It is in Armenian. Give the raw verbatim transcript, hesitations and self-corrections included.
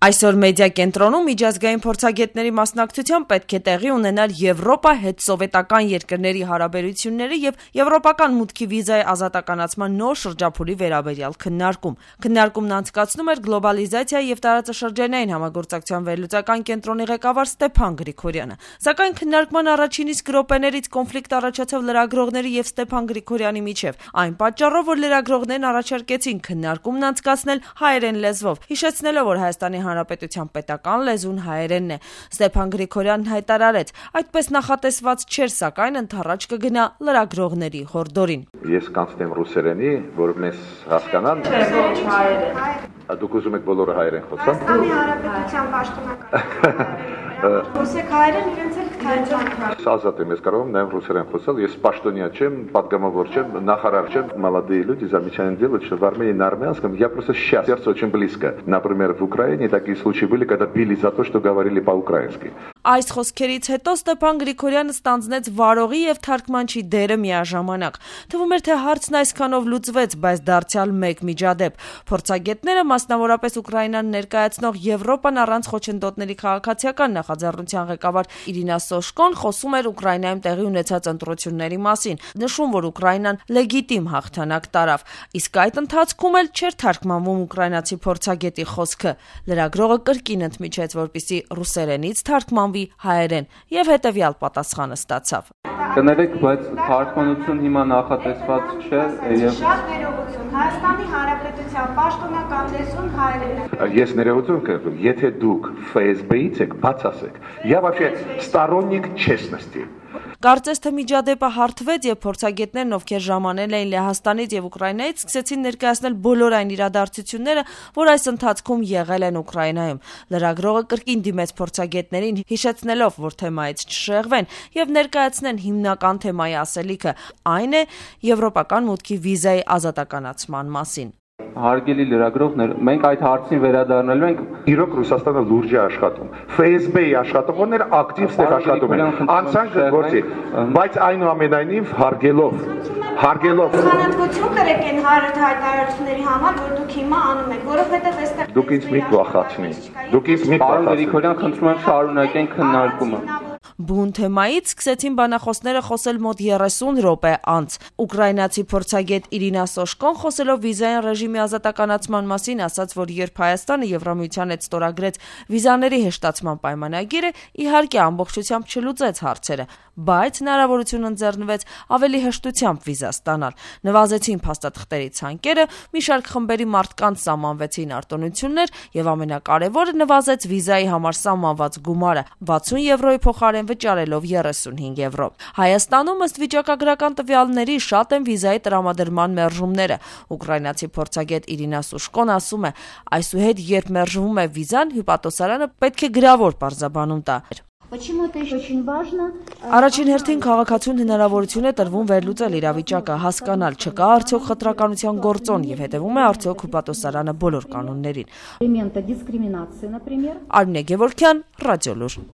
Այսօր մեդիա կենտրոնում միջազգային փորձագետների մասնակցությամբ պետք է տեղի ունենալ Եվրոպա հետսովետական երկրների հարաբերությունները եւ եվրոպական մուտքի վիզայի ազատականացման նոր շրջափուլի վերաբերյալ քննարկում։ Քննարկումն անցկացնում էր գլոբալիզացիա եւ տարածաշրջանային համագործակցության վերլուծական կենտրոնի ղեկավար Ստեփան Գրիգորյանը։ Սակայն քննարկման առաջին իսկ րոպեներից կոնֆլիկտ առաջացավ լրագրողների եւ Ստեփան Գրիգորյանի միջեւ։ Այն պատճառով, որ լրագրողներն առաջարկեցին քննարկումն անցկացնել հայերեն լեզվով, հիշեցնելով, որ Հայաստանի Հանրապետության պետական լեզուն հայերենն է։ Ստեփան Գրիգորյանն հայտարարեց, այդպես նախատեսված չէր, սակայն ընդառաջ կգնա լրագրողների հորդորին։ Ես կանցնեմ ռուսերենի, որ մեզ հասկանան։ Ոչ հայերեն։ Դուք ուզում եք բոլորը հայերեն խոսալ։ Հայաստանի Հանրապետության պաշտոնական։ Խոսեք հայերեն, իրենց էլ կթայցան։ Ազատ եմ, ես կարող եմ նաև ռուսերեն խոսալ, ես պաշտոնյա չեմ, պատգամավոր չեմ, նախարար չեմ, молодые люди замечательно делают, что в Армении на армянском я просто сейчас, сердце очень близко. Например, в Украине такие случаи были, когда били за то, что говорили по-украински. Այս խոսքերից հետո Ստեփան Գրիգորյանը ստանձնեց վարողի եւ թարգմանչի դերը միաժամանակ։ Թվում էր, թե հարցն այսքանով լուծվեց, բայց դարձյալ մեկ միջադեպ։ Փորձագետները, մասնավորապես Ուկրաինան ներկայացնող Եվրոպան առանց խոչընդոտների քաղաքացիական նախաձեռնության ղեկավար Իրինա Սոշկոն խոսում էր Ուկրաինայում տեղի ունեցած ընտրությունների մասին, նշում, որ Ուկրաինան լեգիտիմ հաղթանակ տարավ։ Իսկ այդ ընթացքում էլ չէր թարգմանվում ուկրաինացի փորձագետի խոսքը։ Լրագրողը կրկին ընդմիջեց, որպեսզի ռուսերենից թարգմանվի հայերեն, եւ հետեւյալ պատասխանը ստացավ։ Կներեք, բայց թարգմանություն հիմա նախատեսված չէ եւ Շատ ներողություն, Հայաստանի Հանրապետության պաշտոնական լեզուն հայերենն է։ Ես ներողություն կրում, եթե դուք эф эс бэ-ից եք, բաց ասեք։ Я вообще сторонник честности. Կարծես թե միջադեպը հարթվեց եւ փորձագետներն, ովքեր ժամանել էին Լեհաստանից եւ Ուկրաինայից, սկսեցին ներկայացնել բոլոր այն իրադարձությունները, որ այս ընթացքում եղել են Ուկրաինայում։ Լրագրողը կրկին դիմեց փորձագետներին, հիշեցնելով, որ թեմայից չշեղվեն եւ ներկայացնեն հիմնական թեմայի ասելիքը, այն է եվրոպական մուտքի վիզայի ազատականացման մասին։ Հարգելի լրագրողներ, մենք այդ հարցին վերադառնալու ենք։ Իրոք Ռուսաստանը լուրջ է աշխատում։ эф эс бэ-ի աշխատողները ակտիվ ստեղ աշխատում են։ Անցանք գործի, բայց այնուամենայնիվ հարգելով, հարգելով։ Խանատվություն կրեք այն հայտարարությունների համար, որ դուք հիմա անում եք, որովհետև այստեղ Դուք ինձ մի փոխացնի։ Դուք ինձ մի Պարոն փոխացնի։ Գրիգորյան, խնդրում եմ շարունակենք քննարկումը։ Բուն թեմայից սկսեցին բանախոսները խոսել մոտ երեսուն րոպե անց։ Ուկրաինացի փորձագետ Իրինա Սոշկոն խոսելով վիզային ռեժիմի ազատականացման մասին ասաց, որ երբ Հայաստանը Եվրամիության հետ ստորագրեց վիզաների հեշտացման պայմանագիրը, իհարկե ամբողջությամբ չլուծեց հարցերը, բայց հնարավորություն ընձեռնվեց ավելի հեշտությամբ վիզա ստանալ։ Նվազեցին փաստաթղթերի ցանկերը, մի շարք խմբերի մարդկանց սահմանվեցին արտոնություններ եւ ամենակարևորը նվազեց վիզայի համար սահմանված գումարը վաթսուն եվրոյի փոխարեն վճարելով երեսունհինգ եվրո։ Հայաստանում ըստ վիճակագրական տվյալների շատ են վիզայի տրամադրման մերժումները։ Ուկրաինացի փորձագետ Իրինա Սուշկոն ասում է, այսուհետ երբ մերժվում է վիզան, հյուպատոսարանը պետք է գրավոր պարզաբանում տա։ Առաջին հերթին քաղաքացուն հնարավորություն է տրվում վերլուծել իրավիճակը, հասկանալ չկա արդյոք խտրականության գործոն եւ հետեւում է արդյոք հյուպատոսարանը բոլոր կանոններին։ Արմինե Գևորգյան, Ռադիոլուր։